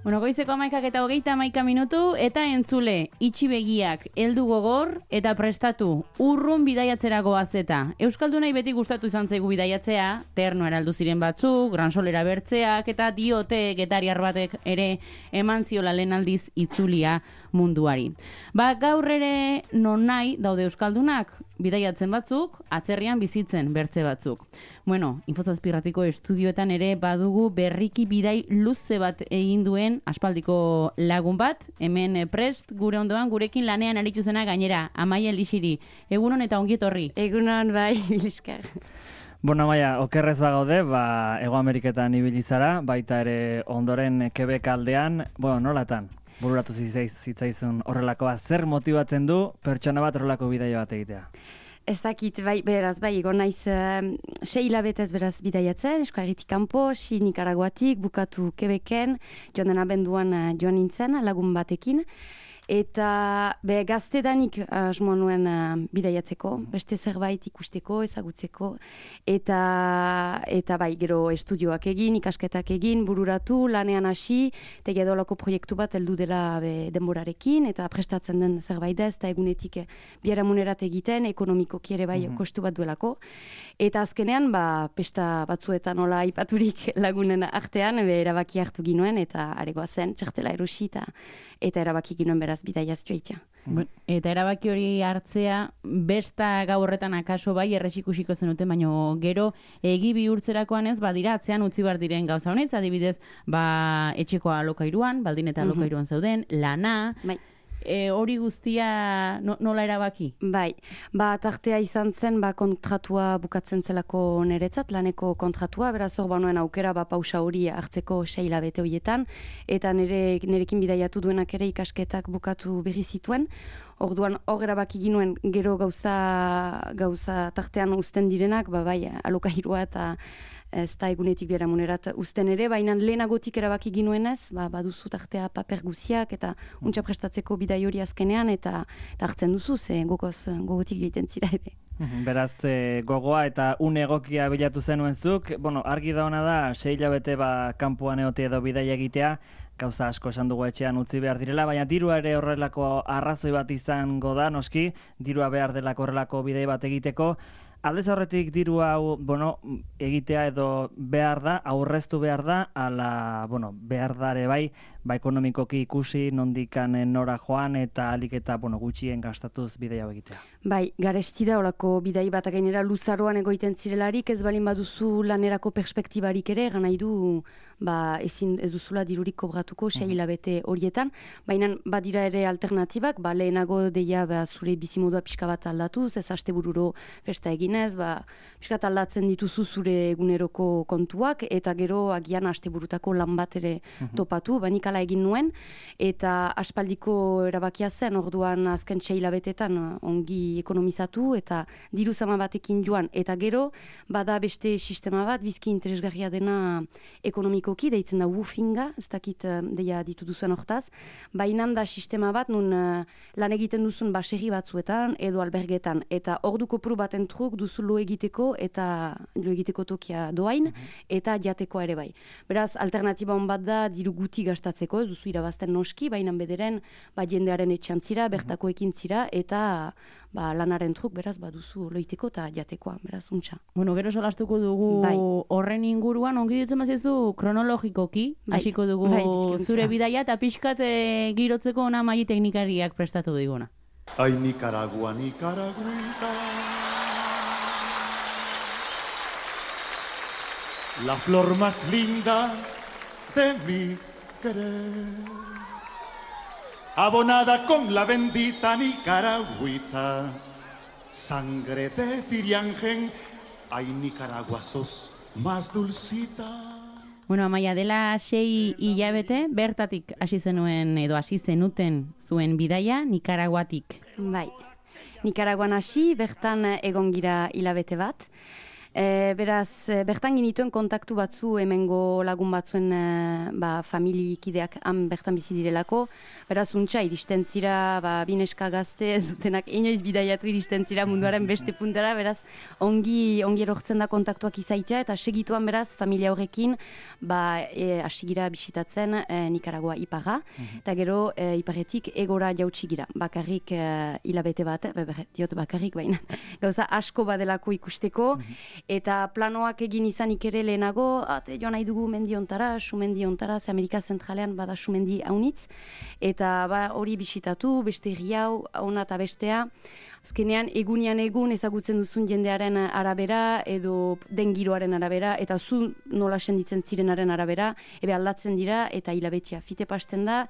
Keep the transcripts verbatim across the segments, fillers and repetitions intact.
Bueno, goizeko amaikak eta hogeita amaika minutu, eta entzule, itxi begiak, heldu gogor, eta prestatu, urrun bidaiatzera goazeta. Euskaldunai beti gustatu izan zaigu bidaiatzea, ternoera heldu ziren batzuk, gransolera bertzeak, eta diote getariar batek ere eman ziola lehen aldiz itzulia munduari. Ba, gaur ere non nahi daude euskaldunak, bidaiatzen batzuk, atzerrian bizitzen bertze batzuk. Bueno, Infozazpirratiko estudioetan ere badugu berriki bidai luze bat egin duen aspaldiko lagun bat, hemen prest gure ondoan gurekin lanean aritu zena gainera, Amaia Elixiri. Egunon eta ongi etorri. Egunon bai, Biliskar. Bueno, Amaia, okerrez bagaude, ba, Hego Ameriketan ibili zara, baita ere ondoren Quebec aldean, bueno, nolatan? Bururatu zitzaizun horrelakoa, zer motibatzen du pertsona bat horrelako bidaia bat egitea? Ez dakit, bai, beraz, bai, egon naiz uh, sei hilabetez beraz bidaiatzen, eskuagitik kanpo, si Nikaraguatik, bukatu Quebecen, joan den abenduan uh, joan nintzen lagun batekin, eta be, gaztedanik asmo nuen uh, bidaiatzeko, beste zerbait ikusteko, ezagutzeko, eta, eta bai, gero estudioak egin, ikasketak egin, bururatu, lanean hasi, eta gedolako proiektu bat heldu dela be, denborarekin, eta prestatzen den zerbait ez, eta egunetik biharamunerat egiten, ekonomikoki ere bai, mm-hmm. kostu bat duelako. Eta azkenean, ba, pesta batzuetan nola aipaturik lagunen artean, be, erabaki hartu ginuen, eta aregoa zen, txartela erosi, eta, eta erabaki ginuen beraz bidaiaz joitea. Eta erabaki hori hartzea, besta gau horretan akaso bai errexikusiko zenuten, baino gero egi bihurtzerakoan ez, badira atzean utzi bar diren gauza honetz, adibidez, ba, etxeko alokairuan, baldin eta alokairuan zauden, lana, bai. E, hori guztia no, nola erabaki? Bai, ba, tartea izan zen, ba, kontratua bukatzen zelako niretzat, laneko kontratua, beraz hor banuen aukera, ba, pausa hori hartzeko sei hilabete horietan, eta nire, nirekin bidaiatu duenak ere ikasketak bukatu berri zituen. Orduan hor erabaki ginuen gero gauza, gauza tartean uzten direnak, ba, bai, alokairua eta ez da egunetik biharamunerat uzten ere, baina lehenagotik erabaki ginuenez, ba, baduzu tartea paper guziak eta untxa prestatzeko bidai hori azkenean, eta, eta hartzen duzu, ze gogoz, gogotik joiten zira ere. Beraz, e, gogoa eta une egokia bilatu zenuen zuk, bueno, argi da hona da, sei hilabete ba, kanpoan egote edo bidaia egitea, gauza asko esan dugu etxean utzi behar direla, baina dirua ere horrelako arrazoi bat izango da, noski, dirua behar delako horrelako bidai bat egiteko. Aldez horretik diru hau, bueno, egitea edo behar da, aurreztu behar da, ala, bueno, behar dare bai, ba ekonomikoki ikusi, nondikan nora joan eta alik eta, bueno, gutxien gastatuz bidea hau egitea. Bai, garesti da horako bidai bat gainera luzaroan egoiten zirelarik, ez balin baduzu lanerako perspektibarik ere, gana idu, ba, ezin ez duzula dirurik kobratuko sei hilabete horietan, baina badira ere alternatibak, ba, lehenago deia ba, zure bizimodua pixka bat aldatuz, ez astebururo festa eginez, ba, pixka bat aldatzen dituzu zure eguneroko kontuak, eta gero agian asteburutako lan bat ere topatu, ba, nik ala egin nuen, eta aspaldiko erabakia zen, orduan azken sei hilabetetan ongi ekonomizatu, eta diru zama batekin joan, eta gero, bada beste sistema bat, bizki interesgarria dena ekonomikoki, deitzen da woofinga, ez dakit deia ditu duzuen hortaz, baina da sistema bat, nun uh, lan egiten duzun baserri batzuetan, edo albergetan, eta orduko pru baten truk duzu lo egiteko, eta lo egiteko tokia doain, eta jateko ere bai. Beraz, alternatiba hon bat da, diru guti gastatzeko, ez duzu irabazten noski, baina bederen, ba, jendearen etxean zira, bertako ekin zira, eta ba, lanaren truk, beraz, baduzu loiteko eta jatekoa, beraz, untxa. Bueno, gero solastuko dugu bai. Horren inguruan, ongi ditzen bazizu kronologikoki, bai. Hasiko dugu bai, zure bidaia, eta pixkat e, girotzeko ona maili teknikariak prestatu diguna. Ai, Nicaragua, Nicaraguita, la flor más linda de mi querer, abonada con la bendita Nicaragüita, sangre de Tiriangen, ay Nicaragua sos más dulcita. Bueno, Amaia, dela sei hilabete, bertatik hasi zenuen edo hasi zenuten zuen bidaia Nikaraguatik. Bai, Nikaraguan hasi, bertan egon gira hilabete bat. E, beraz, e, bertan ginituen kontaktu batzu hemengo lagun batzuen e, ba, familikideak han bertan bizi direlako. Beraz, untxa, iristen zira, ba, bineska gazte, zutenak inoiz bidaiatu iristen zira munduaren beste puntara, beraz, ongi, ongi erortzen da kontaktuak izaitea, eta segituan beraz, familia horrekin, ba, e, asigira bisitatzen e, Nikaragua iparra, mm-hmm. eta gero e, iparretik egora jautsi gira, bakarrik e, hilabete bat, be, be, diot bakarrik baina, gauza asko badelako ikusteko, mm-hmm. eta planoak egin izanik ere lehenago, ate joan nahi dugu mendiontara, sumendiontara, ze Amerika zentralean bada sumendi haunitz, eta ba, hori bisitatu, beste riau, ona eta bestea, azkenean egunean egun ezagutzen duzun jendearen arabera edo den giroaren arabera eta zu nola senditzen zirenaren arabera ebe aldatzen dira eta hilabetea fite pasten da,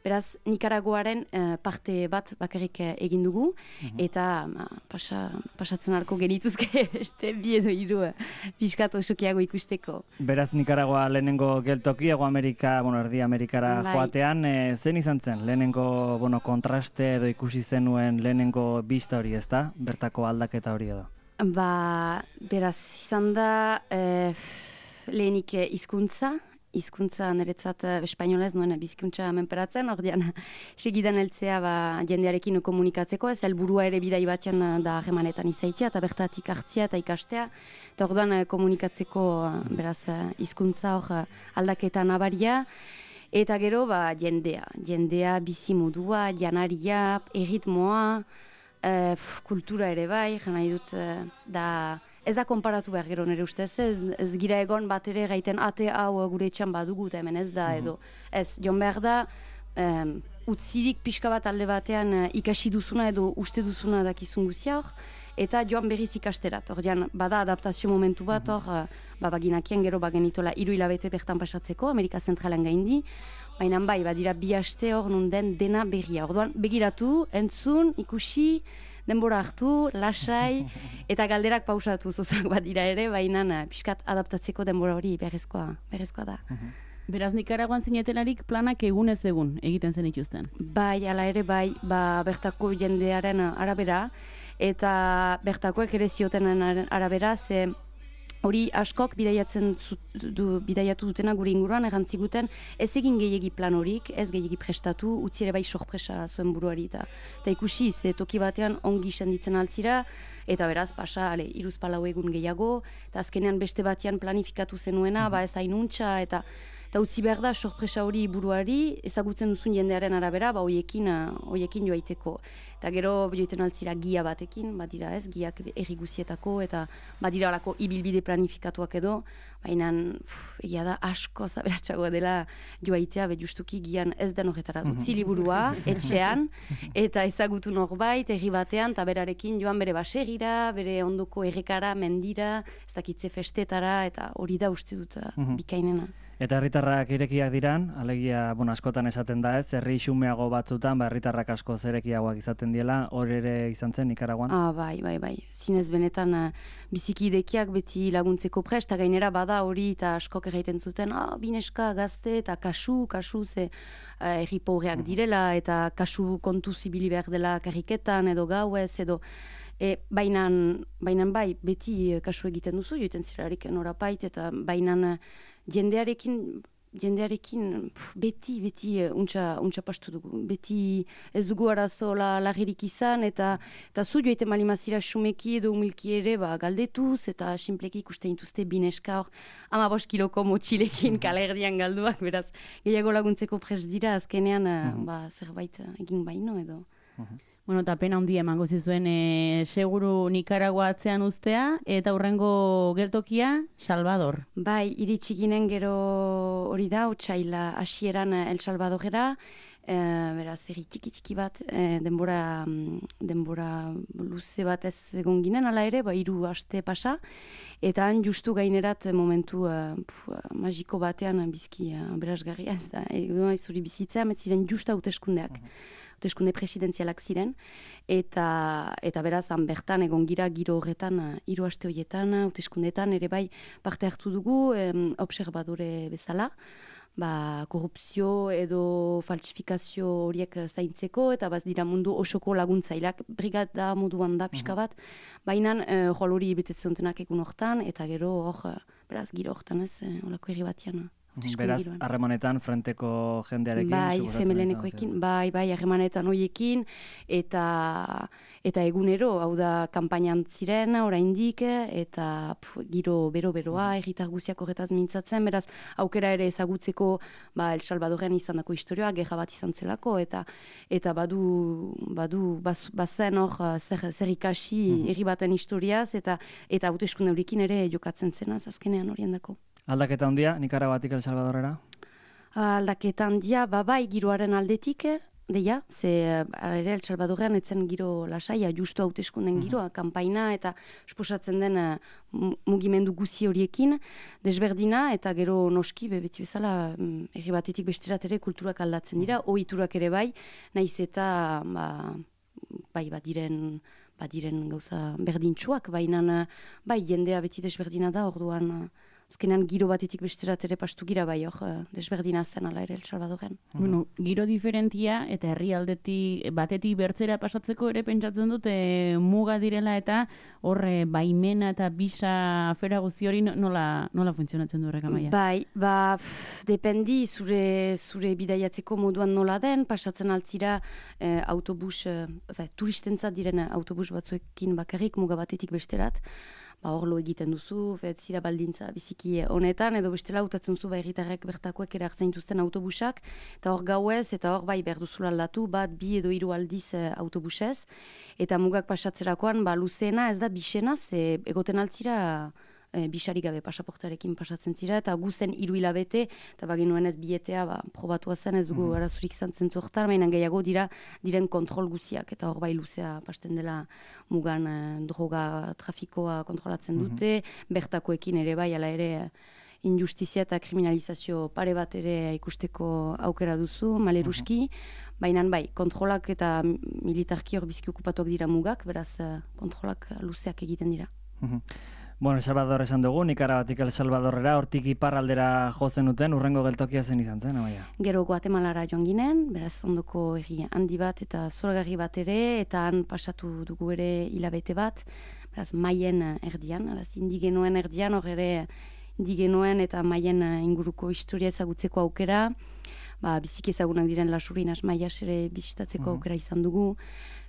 beraz Nikaragoaren eh, parte bat bakarrik egin dugu mm-hmm. eta ma, pasa, pasatzen arko genituzke beste bi edo hiru pixkat osokiago ikusteko. Beraz Nikaragoa lehenengo geltoki, Hego Amerika, bueno, Erdi Amerikara bai. Joatean, e, zen izan zen? Lehenengo bueno, kontraste edo ikusi zenuen lehenengo bista hori, ezta? Bertako aldaketa hori edo? Ba, beraz, izan da eh, lehenik hizkuntza, hizkuntza niretzat espainolez nuen bizikuntza menperatzen, ordean segidan heltzea ba, jendearekin komunikatzeko, ez helburua ere bidai batean da harremanetan izaitea, eta bertatik hartzea eta ikastea, eta orduan komunikatzeko beraz hizkuntza hor aldaketa nabaria, eta gero ba, jendea, jendea bizimodua, janaria, erritmoa, Uh, kultura ere bai, jana dut uh, da ez da konparatu behar gero nire ustez, ez, ez gira egon bat ere gaiten ate hau gure etxan badugu eta hemen ez da edo. Ez, jon behar da, um, utzirik pixka bat alde batean uh, ikasi duzuna edo uste duzuna dakizun guzia hor, eta joan berriz ikasterat. Ordean, bada adaptazio momentu bat hor, uh, ba, baginakien gero bagenitola hiru hilabete bertan pasatzeko, Amerika Zentralen gaindi, baina bai, badira bi aste hor nun den dena berria. Orduan, begiratu, entzun, ikusi, denbora hartu, lasai, eta galderak pausatu zozak badira ere, baina pixkat adaptatzeko denbora hori berrezkoa, berrezkoa da. Beraz, Nikaraguan zinetelarik planak egunez egun egiten zen ituzten? Bai, ala ere bai, ba, bertako jendearen arabera, eta bertakoek ere zioten arabera, ze hori askok bidaiatzen du, bidaiatu dutena gure inguruan errantziguten ez egin gehiegi plan horik, ez gehiegi prestatu, utzi ere bai sorpresa zuen buruari eta eta ikusi, ze toki batean ongi senditzen altzira, eta beraz pasa, ale, iruz palau egun gehiago, eta azkenean beste batean planifikatu zenuena, ba ez hainuntza, eta eta utzi behar da sorpresa hori buruari, ezagutzen duzun jendearen arabera, ba hoiekin, hoiekin joaiteko. Eta gero joiten altzira gia batekin, badira ez, giak erri guzietako, eta badira alako ibilbide planifikatuak edo, baina egia da asko zaberatxagoa dela joaitea, be justuki gian ez den horretara utzi liburua, etxean, eta ezagutu norbait, erri batean, eta berarekin joan bere baserira, bere ondoko errekara, mendira, ez dakitze festetara, eta hori da uste dut bikainena. Eta herritarrak irekiak diran, alegia, bueno, askotan esaten da ez, herri xumeago batzutan, ba, herritarrak asko zerekiagoak izaten diela, hor ere izan zen Nikaraguan? Ah, bai, bai, bai. Zinez benetan uh, biziki idekiak beti laguntzeko prest, eta gainera bada hori eta askok erraiten zuten, ah, bineska gazte eta kasu, kasu, ze uh, herri pobreak direla, eta kasu kontu zibili behar dela karriketan edo gauez, edo E, bainan, bainan bai, beti kasu egiten duzu, joiten zirarik norapait, eta bainan jendearekin, jendearekin pf, beti, beti untxa, untxa pastu dugu. Beti ez dugu arazo la, lagirik izan, eta, eta zu joiten malimazira xumeki edo humilki ere ba, galdetuz, eta simpleki ikusten dituzte bineska hor, ama bost kiloko motxilekin kalerdian galduak, beraz, gehiago laguntzeko prest dira, azkenean uh-huh. ba, zerbait egin baino edo. Uh-huh. Bueno, eta pena handia emango zizuen e, seguru Nikaragua atzean uztea, eta hurrengo geltokia, Salvador. Bai, iritsi ginen gero hori da, otsaila hasieran El Salvadorera, e, beraz, erri tiki-tiki bat, e, denbora, denbora luze bat ez egon ginen, ala ere, ba, hiru aste pasa, eta han justu gainerat momentu uh, pf, magiko batean bizki uh, berazgarria, ez da, egon zuri bizitzea, metziren justa hauteskundeak. Uh-huh. Hauteskunde presidenzialak ziren, eta, eta beraz, han bertan egon gira giro horretan, hiru aste horietan, hauteskundetan ere bai parte hartu dugu, em, observadore bezala, ba, korrupzio edo falsifikazio horiek zaintzeko, eta baz dira mundu osoko laguntzaileak brigada moduan da pixka bat, baina uh, jol hori betetzen dutenak egun hortan, eta gero hor, beraz, giro hortan ez, holako herri batian. Beraz, harremanetan frenteko jendearekin? Bai, femelenekoekin, bai, bai, harremanetan hoiekin, eta eta egunero, hau da, kampainan ziren, oraindik, eta pf, giro bero-beroa, erritar guziak horretaz mintzatzen, beraz, aukera ere ezagutzeko, ba, El Salvadorren izan dako historioa, gerra bat izan zelako, eta eta badu, badu, baz, bazen hor, zer, zer ikasi herri baten historiaz, eta eta hauteskunde horiekin ere jokatzen zenaz, azkenean horien dako. Aldaketa handia, Nikaraguatik El Salvadorrera? Aldaketa handia, ba, bai, giroaren aldetik, deia, ze ere El Salvadorrean etzen giro lasaia, justu hauteskunden giroa, uh-huh. kanpaina eta esposatzen den uh, mugimendu guzi horiekin, desberdina, eta gero noski, beti bezala, herri batetik besterat ere kulturak aldatzen dira, uh-huh. ohiturak ere bai, naiz eta, ba, bai, bat diren, bat diren gauza berdintsuak, baina, bai, jendea beti desberdina da, orduan, azkenean giro batetik besterat ere pastu gira bai hor, desberdina zen ala ere El Salvadorren. Bueno, giro diferentia eta herrialdetik batetik bertzera pasatzeko ere pentsatzen dute muga direla eta horre baimena eta bisa afera guzti hori nola, nola funtzionatzen du horrek Amaia? Bai, ba, pff, dependi zure, zure bidaiatzeko moduan nola den, pasatzen altzira eh, autobus, eh, turistentzat diren autobus batzuekin bakarrik muga batetik besterat, ba, orlo egiten duzu, fet, zira baldintza biziki honetan, edo bestela utatzen zu herritarrek bertakoek ere hartzen dituzten autobusak, eta hor gauez, eta hor bai behar duzula aldatu, bat, bi edo hiru aldiz e, autobusez, eta mugak pasatzerakoan, ba, luzeena ez da bisena, ze egoten altzira e, bisari gabe pasaportarekin pasatzen zira, eta guzen hiru hilabete, eta baginuen ez bietea, ba, probatua zen, ez dugu mm. arazurik zantzen zuhortan, mainan gehiago dira, diren kontrol guziak, eta hor bai luzea pasten dela mugan eh, droga trafikoa kontrolatzen dute, mm-hmm. bertakoekin ere bai, ala ere injustizia eta kriminalizazio pare bat ere ikusteko aukera duzu, maleruski, mm-hmm. baina bai, kontrolak eta militarki hor biziki okupatuak dira mugak, beraz kontrolak luzeak egiten dira. Mm-hmm. Bueno, El Salvador esan dugu, Nikaraguatik El Salvadorrera, hortik iparraldera jotzen duten, urrengo geltokia zen izan zen, Amaia? Gero Guatemalara joan ginen, beraz ondoko herri handi bat eta zoragarri bat ere, eta han pasatu dugu ere hilabete bat, beraz maien erdian, beraz indigenoen erdian, hor ere indigenoen eta maien inguruko historia ezagutzeko aukera, ba, biziki ezagunak diren Lasurinas maias ere bizitatzeko mm-hmm. aukera izan dugu,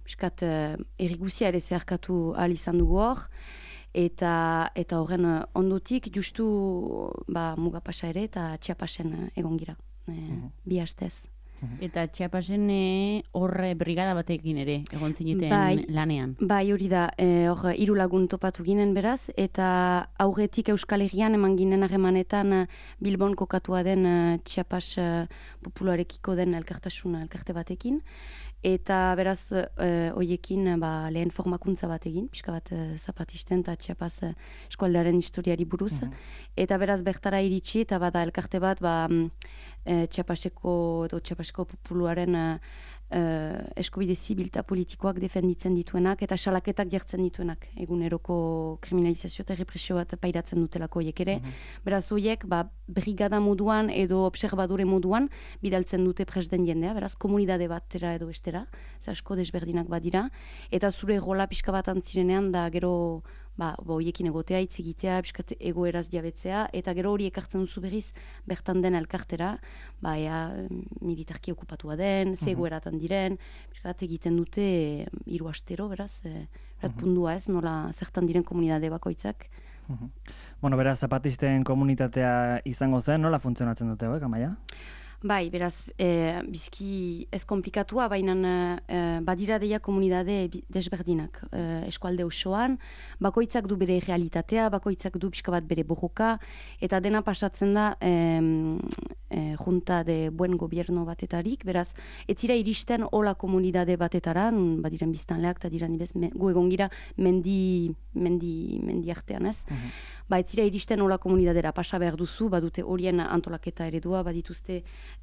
biskat herri guzia ere zeharkatu ahal izan dugu hor, eta eta horren ondotik justu ba, muga pasa ere eta Chiapasen egon gira, e, mm-hmm. bi astez. Mm-hmm. Eta Chiapasen horre brigada batekin ere egon zineten bai, lanean. Bai, hori da, hor hiru lagun topatu ginen beraz, eta aurretik Euskal Herrian eman ginen harremanetan Bilbon kokatua den Chiapas popularekiko den elkartasun elkarte batekin, eta beraz eh, hoiekin ba, lehen formakuntza bat egin, pixka bat eh, zapatisten eta Chiapas eh, eskualdearen historiari buruz, mm-hmm. eta beraz bertara iritsi eta bada elkarte bat ba, eh, Chiapaseko edo Chiapaseko populuaren eh, eskubide zibil eta politikoak defenditzen dituenak eta salaketak jartzen dituenak eguneroko kriminalizazio eta represio bat pairatzen dutelako horiek ere. Mm-hmm. Beraz horiek ba, brigada moduan edo observadore moduan bidaltzen dute presden jendea, beraz komunidade batera edo estera, ze asko desberdinak badira, eta zure rola pixka bat antzirenean da gero ba, horiekin egotea, hitz egitea, piskat egoeraz jabetzea, eta gero hori ekartzen duzu berriz bertan den elkartera, ba, ea, militarki okupatua den, ze egoeratan diren, piskat egiten dute hiru astero, beraz, e, berat pundua ez, nola zertan diren komunidade bakoitzak. Bueno, beraz, zapatisten komunitatea izango zen, nola funtzionatzen dute, hauek, Amaia? Bai, beraz, e, bizki ez komplikatua, baina e, badira deia komunidade desberdinak e, eskualde osoan, bakoitzak du bere realitatea, bakoitzak du pixka bat bere borroka, eta dena pasatzen da e, e, junta de buen gobierno batetarik, beraz, ez zira iristen hola komunidade batetara, badiren biztanleak, eta diran ibez, me, gu egon gira mendi, mendi, mendi artean ez, uh-huh. Ba, ez zira iristen hola komunidadera pasa behar duzu, badute horien antolaketa eredua, badituzte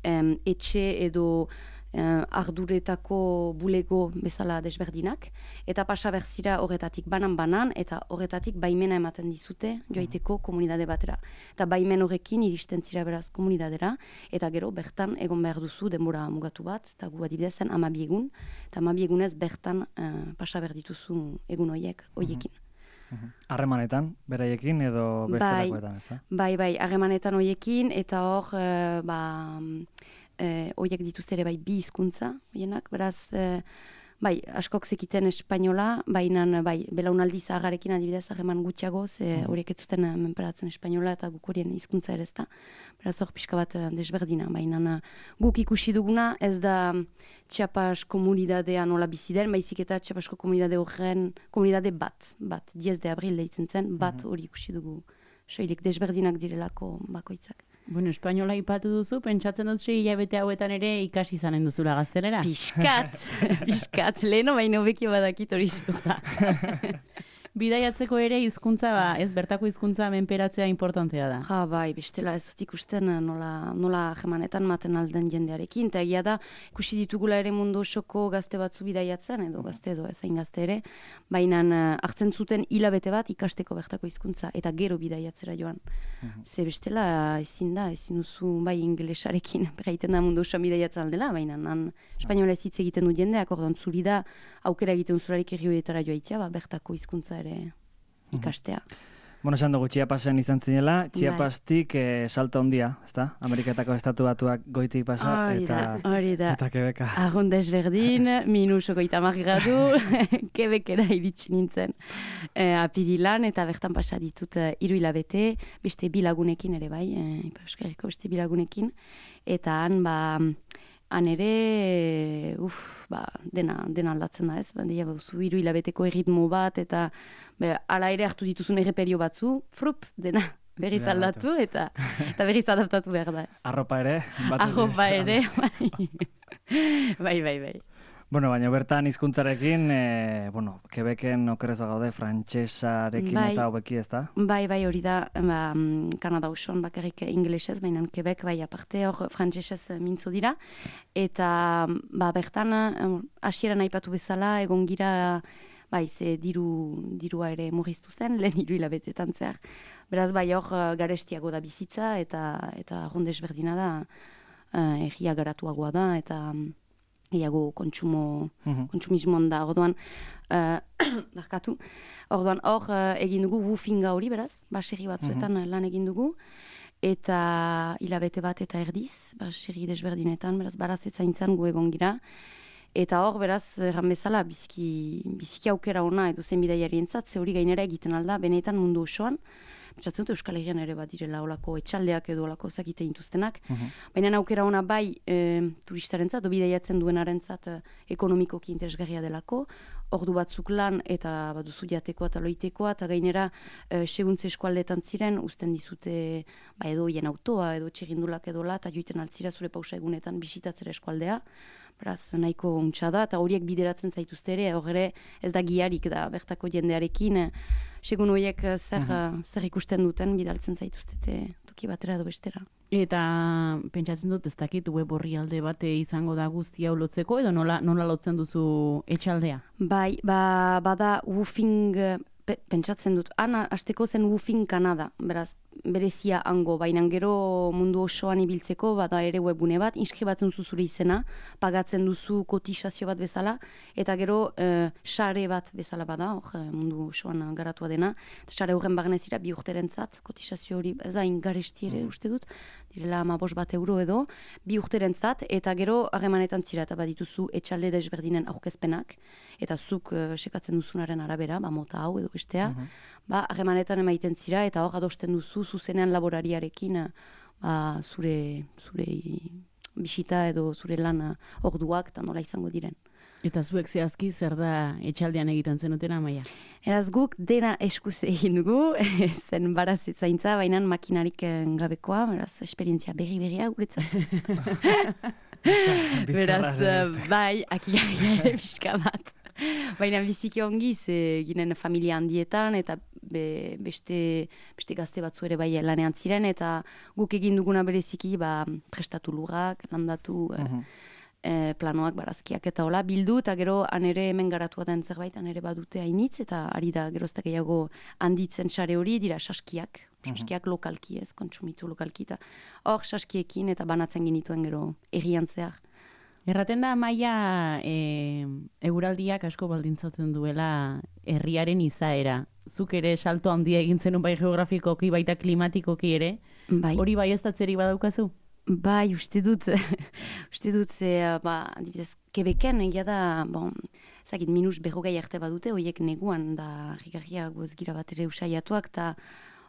em, etxe edo uh, arduretako bulego bezala desberdinak, eta pasa berzira horretatik banan-banan, eta horretatik baimena ematen dizute joaiteko komunidade batera. Eta baimen horrekin iristen zira beraz komunidadera, eta gero bertan egon behar duzu denbora mugatu bat, eta gu adibidez zen amabi egun, eta amabi egunez bertan uh, pasa behar dituzu egun horiek, horiekin. Harremanetan, beraiekin edo bestelakoetan, ez da? Bai, bai, harremanetan horiekin, eta hor, uh, ba, horiek dituzte ere bai bi hizkuntza, horienak, beraz, uh, bai, askok zekiten espainola, baina bai, belaunaldi zahagarekin adibidez harreman gutxiago, ze horiek ez zuten menperatzen espainola eta guk horien hizkuntza ere ez da. Beraz hor pixka bat desberdina, baina guk ikusi duguna ez da Chiapas komunidadea nola bizi den, baizik eta Chiapasko komunidade horren, komunidade bat, bat, diez de abril deitzen zen, bat hori ikusi dugu, soilik desberdinak direlako bakoitzak. Bueno, espainola ipatu duzu, pentsatzen dut sei hilabete hauetan ere ikasi izanen duzula gaztelera. Piskat, piskat, leheno baino bekio badakit hori xurta. Bidaiatzeko ere hizkuntza ba, ez bertako hizkuntza menperatzea importantea da. Ja, bai, bestela ez dut ikusten nola, nola jemanetan maten alden jendearekin, eta egia da, ikusi ditugula ere mundu osoko gazte batzu bidaiatzen, edo gazte edo ezain gazte ere, baina hartzen zuten hilabete bat ikasteko bertako hizkuntza eta gero bidaiatzera joan. Uh-huh. Ze bestela ezin da, ezin duzu bai ingelesarekin, berraiten da mundu osoan bidaiatzen aldela, baina nan espainola ez hitz egiten du jendeak, orduan zuri da, aukera egiten zularik errioetara joaitea, ba, bertako hizkuntza ere ikastea. Bueno, esan dugu, Chiapasen izan zinela, Chiapastik eh, salto handia, ezta? Ameriketako estatu batuak goitik pasa, hori eta, da, hori da. eta Quebeca. Argun desberdin, minus ogoita margadu, Quebecera iritsi nintzen eh, apirilan, eta bertan pasa ditut eh, hiru hilabete, beste bilagunekin ere bai, eh, Euskarriko beste bilagunekin, eta han, ba, han ere, uf, ba, dena, dena aldatzen da ez, bandia bauzu hiru hilabeteko erritmo bat, eta be, ala ere hartu dituzun erreperio batzu, frup, dena berriz aldatu, eta, eta berriz adaptatu behar da ez. Arropa ere? Arropa ere, bai, bai, bai, bai. Bueno, baina bertan hizkuntzarekin, e, bueno, Quebecen okerrez bagaude, frantsesarekin bai, eta hobeki ez da? Bai, bai, hori da, ba, Kanada osoan bakarrik ingelesez, baina Quebec bai aparte hor frantsesez mintzo dira, eta ba, bertan hasieran aipatu bezala, egon gira, bai, ze diru, dirua ere murriztu zen, lehen hiru hilabetetan zehar. Beraz, bai, hor garestiago da bizitza, eta, eta rondes berdina da, uh, erria garatuagoa da, eta gehiago kontsumo, uh-huh. kontsumismoan da, orduan, uh, barkatu, orduan hor uh, egin dugu woofinga hori, beraz, baserri batzuetan uh-huh. lan egin dugu, eta hilabete bat eta erdiz, baserri desberdinetan, beraz, barazetzaintzan gu egon gira, eta hor, beraz, erran bezala, biziki, biziki aukera ona edo zen bidaiarientzat, ze hori gainera egiten alda, benetan mundu osoan, pentsatzen dut Euskal Herrian ere bat direla olako etxaldeak edo olako zakite intuztenak. Uh-huh. Baina aukera ona bai e, turistarentzat, o bidaiatzen duenarentzat e, ekonomikoki interesgarria delako, ordu batzuk lan eta baduzu jatekoa eta loitekoa, eta gainera e, seguntze eskualdetan ziren, uzten dizute ba, edo hien autoa, edo txegindulak edo la, eta joiten altzira zure pausa egunetan bisitatzera eskualdea. Beraz, nahiko untsa da, eta horiek bideratzen zaituzte ere, horre ez da giarik da bertako jendearekin, segun horiek zer, uh-huh. zer ikusten duten bidaltzen zaituztete toki batera edo bestera. Eta pentsatzen dut ez dakit web orrialde bate izango da guztia lotzeko, edo nola, nola lotzen duzu etxaldea? Bai, ba, bada woofing, pe, pentsatzen dut, ana hasteko zen woofing Kanada, beraz, berezia hango, baina gero mundu osoan ibiltzeko, bada ere webgune bat, inskribatzen duzu zure izena, pagatzen duzu kotizazio bat bezala, eta gero uh, sare bat bezala bada, hor mundu osoan garatua dena, sare horren bagnezira bi urterentzat, kotizazio hori, ez hain garesti ere uste dut, direla amabos bat euro edo, bi urterentzat, eta gero harremanetan zira, eta badituzu etxalde desberdinen aurkezpenak, eta zuk uh, sekatzen duzunaren arabera, ba mota hau edo bestea, uh-huh. ba harremanetan emaiten zira, eta hor adosten duzu zuzenean laborariarekin ba, zure, zure bisita edo zure lan orduak eta nola izango diren. Eta zuek zehazki zer da etxaldean egiten zenuten Amaia? Eraz guk dena eskuz egin dugu, zen barazitzaintza, baina makinarik gabekoa, beraz esperientzia berri-berria guretzat. Beraz, bai, akigarria ere pixka bat. Baina biziki ongi, ze ginen familia handietan, eta be, beste, beste gazte batzu ere bai lanean ziren, eta guk egin duguna bereziki ba, prestatu lurrak, landatu uh-huh. e, planoak, barazkiak eta hola bildu, eta gero anere hemen garatua den zerbait, anere badute hainitz, eta ari da geroztak gehiago handitzen sare hori, dira saskiak, saskiak uh-huh. lokalki ez, kontsumitu lokalki, eta hor saskiekin eta banatzen ginituen gero errian zehar. Erraten da, Maia, e, eguraldiak asko baldintzatzen duela herriaren izaera. Zuk ere salto handia egin zenun bai geografikoki, baita klimatikoki ere. Bai. Hori bai ez datzeri badaukazu? Bai, uste dut, uste dut, ze, ba, adibidez, Quebecen egia da, bon, zakit, minus berrogei arte badute, horiek neguan, da, rigarria gozgira bat ere usaiatuak, eta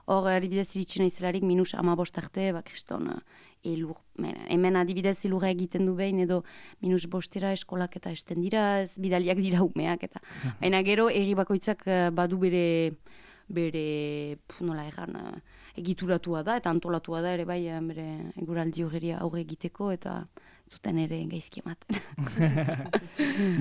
hor, adibidez, iritsi naizelarik minus amabost arte, ba, kriston, elur, hemen adibidez elurra egiten du behin, edo minus bostera eskolak eta esten dira, ez bidaliak dira umeak, eta baina gero, erri bakoitzak badu bere, bere, pf, nola egan, egituratua da, eta antolatua da ere bai, bere eguraldi horri aurre egiteko, eta zuten ere gaizki ematen.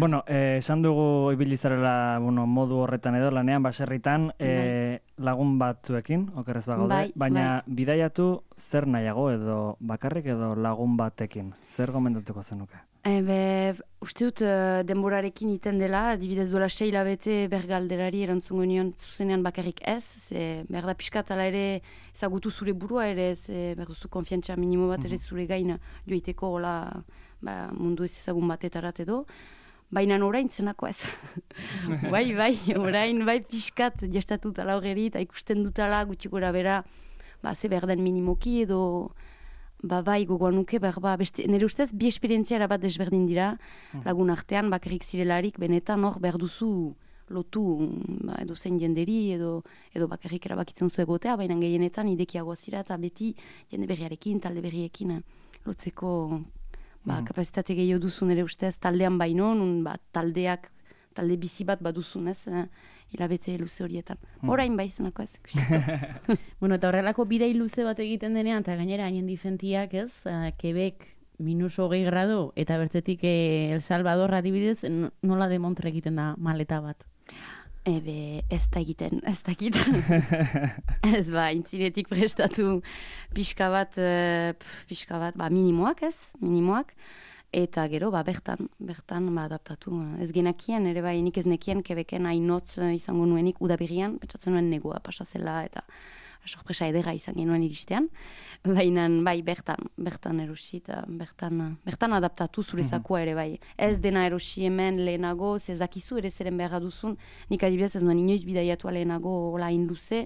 Bueno, eh, esan dugu ibilizarela bueno, modu horretan edo lanean, baserritan, eh, lagun batzuekin, okerrez bagaude, bai, baina bai. bidaiatu zer nahiago edo bakarrik edo lagun batekin? Zer gomendatuko zenuke? Ebe, uste dut uh, denborarekin iten dela, adibidez duela sei hilabete bergalderari erantzungo nion zuzenean bakarrik ez, ze behar da pixkat ala ere ezagutu zure burua ere, ze behar duzu konfiantza minimo bat ere zure gaina joiteko hola ba, mundu ez ezagun batetarat edo, baina orain zenako ez. bai, bai, orain bai pixkat jastatut ala horreri eta ikusten dutala gutxi gora bera, ba, ze behar den minimoki edo ba bai gogoan nuke, ba, beste, nire ustez bi esperientziara bat desberdin dira lagun artean, bakarrik zirelarik benetan hor behar duzu lotu ba, edo zein jenderi edo, edo bakarrik erabakitzen zu egotea, baina gehienetan idekiagoa zira eta beti jende berriarekin, talde berriekin lotzeko ba, mm. kapazitate gehiago duzu nire ustez taldean baino, nun ba, taldeak talde bizi bat baduzun ez, hilabete luze horietan. Orain bai zenako ez. Bueno, eta horrelako bidei luze bat egiten denean, eta gainera hainen difentiak ez, uh, Quebec minus hogei grado, eta bertzetik eh, El Salvador adibidez, nola de montre egiten da maleta bat? Ebe, ez da egiten, ez da egiten. ez ba, intzinetik prestatu pixka bat, uh, pixka bat, ba, minimoak ez, minimoak. Eta gero, ba, bertan, bertan, ba, adaptatu. Ez genakien, ere bai, nik ez nekien, Quebecen hainotz izango nuenik, udaberrian, pentsatzen nuen negoa pasazela, eta sorpresa edera izan genuen iristean. Baina, bai, bertan, bertan erosi, eta bertan, bertan adaptatu zurezakua ere bai. Ez dena erosi hemen lehenago, zezakizu ere zeren behar duzun, nik adibidez ez nuen inoiz bidaiatua lehenago hola hain luze,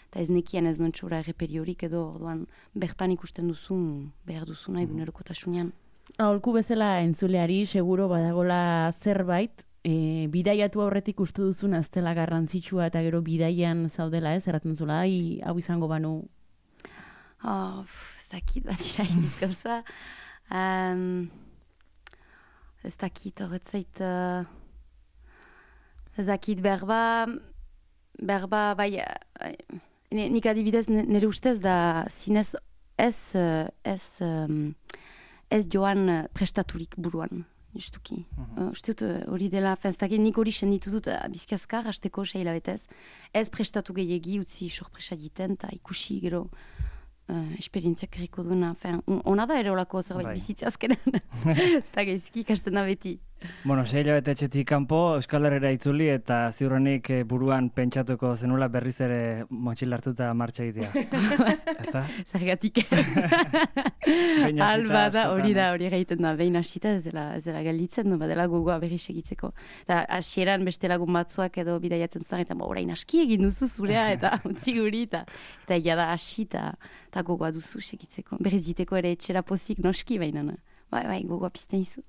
eta ez nekien ez nuen txura erreperiorik edo, orduan, bertan ikusten duzun, behar duzuna egunerokotasunean. Aholku bezala entzuleari, seguro badagola zerbait, e, bidaiatu aurretik uste duzuna ez dela garrantzitsua eta gero bidaian zaudela ez, erraten zula, ai, hau izango banu. Oh, ez dakit bat dira iniz gauza. Um, ez dakit horretzait, uh, ez dakit berba, berba, bai, uh, nik adibidez nire ustez da zinez ez, uh, ez, um, ez joan prestaturik buruan, justuki. Uh-huh. Uh, Uste dut hori dela, fenztakin nik hori senditu dut uh, bizkazkar, hasteko seila betez. Ez prestatu gehiagi utzi sorpresa diten, eta ikusi gero uh, esperientziak erriko duena. Ona da ere olako zerbait bizitzea azkenan. Ez da gaizki ikasten da beti. Bueno, sei hilabete etxetik kanpo, Euskal Herrera itzuli eta ziurrenik buruan pentsatuko zenula berriz ere motxil hartuta martxa egitea. Ezta? Zergatik ez. Alba da, hori da, hori egiten da, behin hasita ez dela, ez dela galditzen, no, badela gogoa berriz egitzeko. Eta hasieran beste lagun batzuak edo bidaiatzen zuen, eta orain aski egin duzu zurea, eta utzi guri, eta eta egia da hasi, eta gogoa duzu segitzeko. Berriz diteko ere etxera pozik noski, baina, bai, bai, gogoa pizten izu.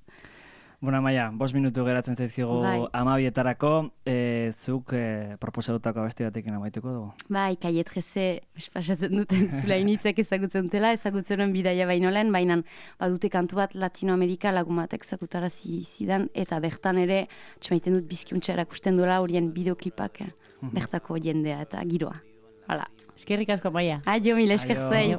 Bona, Maia, bost minutu geratzen zaizkigu bai. amabietarako, e, zuk e, proposatutako abesti batekin amaituko dugu? Bai, kaietreze, espasatzen duten zula initzak ezagutzen dutela, ezagutzen duen bidaia baino lehen, baina badute kantu bat Latinoamerika lagun batek ezagutara zidan, eta bertan ere, txamaiten dut bizkiuntza erakusten duela horien bideoklipak, bertako jendea eta giroa. Hala. Eskerrik asko, Maia. Aio, mil esker zei.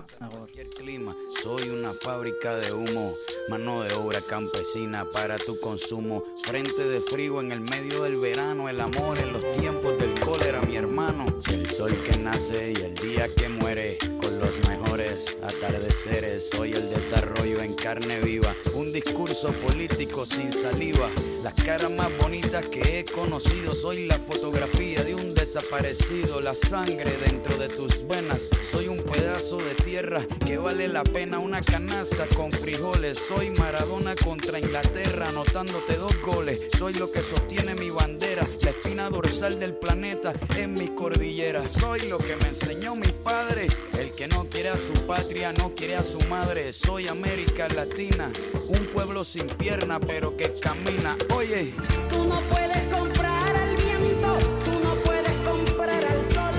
Soy una fábrica de humo, mano de obra campesina para tu consumo. Frente de frío en el medio del verano, el amor en los tiempos del cólera, mi hermano. El sol que nace y el día que muere, con los mejores atardeceres. Soy el desarrollo pero en carne viva. Un discurso político sin saliva. Las caras más bonitas que he conocido. Soy la fotografía de un desaparecido. La sangre dentro de tus venas. Soy un pedazo de tierra que vale la pena una canasta con frijoles. Soy Maradona contra Inglaterra, anotándote dos goles. Soy lo que sostiene mi bandera, la espina dorsal del planeta en mis cordilleras. Soy lo que me enseñó mi padre. El que no quiere a su patria no quiere a su madre. Soy América Latina, un pueblo sin pierna pero que camina. Oye, tú no puedes comprar al viento, tú no puedes comprar al sol,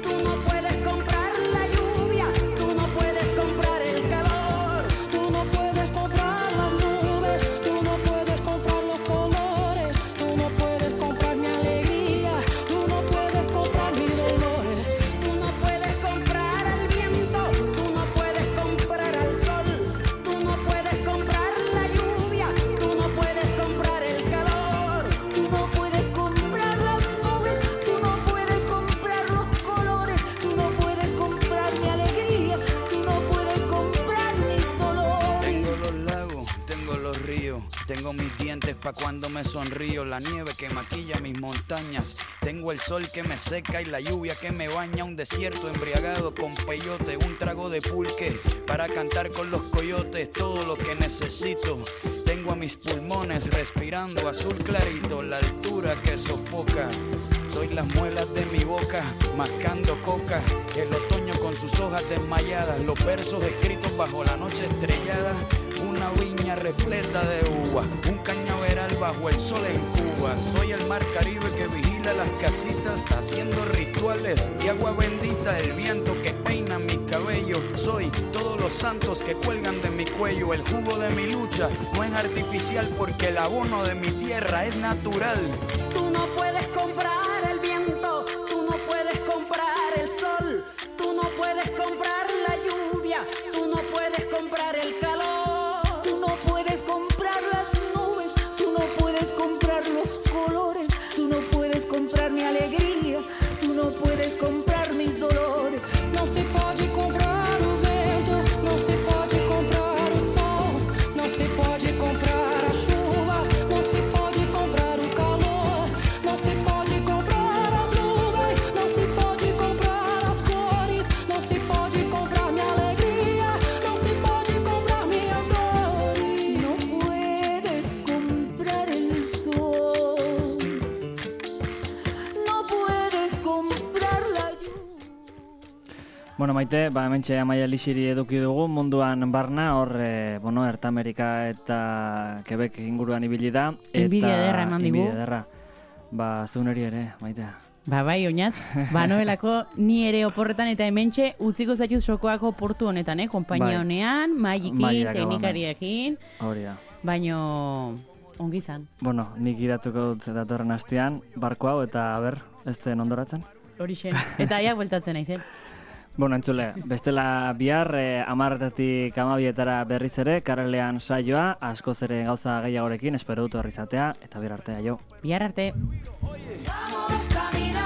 tú no puedes comprar la lluvia, tú no puedes comprar el calor, tú no puedes comprar las nubes, tú no puedes comprar los colores, tú no puedes comprar mi alegría, tú no puedes comprar mis dolores, tú no puedes comprar al viento, tú no puedes comprar al sol, tú no puedes comprar la lluvia, tú no puedes comprar el calor, tú no puedes comprar las nubes, tú no puedes comprar los colores, tú no puedes comprar mi alegría, tú no puedes comprar mis dolores. tengo los lagos, tengo los ríos, tengo mis dientes pa' cuando me sonrío, la nieve que maquilla mis montañas, tengo el sol que me seca y la lluvia que me baña, un desierto embriagado con peyote, un trago de pulque para cantar con los coyotes, todo lo que necesito. Tengo a mis pulmones respirando azul clarito, la altura que sofoca. Soy las muelas de mi boca, mascando coca, el otoño con sus hojas desmayadas, los versos escritos bajo la noche estrellada, una viña repleta de uvas, un cañaveral bajo el sol en Cuba. Soy el mar Caribe que vigila las casitas, haciendo rituales y agua bendita, el viento que peina mi cabello. Soy todos los santos que cuelgan de mi cuello, el jugo de mi lucha no es artificial porque el abono de mi tierra es natural. Tú no puedes comprar el viento, tú no puedes comprar el sol, tú no puedes comprar la lluvia, tú no puedes comprar el calor, tú no puedes comprar las nubes, tú no puedes comprar los colores, tú no puedes comprar mi alegría, tú no puedes comprar mis dolores. Não se pode comprar o vento, não se pode comprar o sol, não se pode comprar a chuva, não se pode comprar o calor, não se pode comprar as nuvens, não se pode comprar as cores, não se pode comprar minha alegria, não se pode comprar minhas dores. Não puedes comprar el sol, no puedes comprar la lluvia. Bueno, Maite, ba, hementxe Amaia Lixiri eduki dugu, munduan barna, hor, e, bueno, Erta Amerika eta Quebec inguruan ibili da. Eta Inbidia ederra eman digu. Inbidia ederra. Ba, zeuneri ere, Maite. Ba, bai, oinaz, banoelako ni ere oporretan eta hementxe utziko zaituz sokoako portu honetan, eh? Kompainia Bai. honean, mailekin, Mailak teknikariekin, Hori da. baino ongi izan. Bueno, nik idatuko dut datorren astean, barko hau, eta ber, ez den ondoratzen. Horixen. Eta aiak bueltatzen naizen. Bueno, entzule, bestela bihar, eh, amarretatik amabietara berriz ere, karrelean saioa, askoz ere gauza gehiagorekin, espero dut horri izatea, eta bihar artea jo. Bihar arte. Vamos caminando.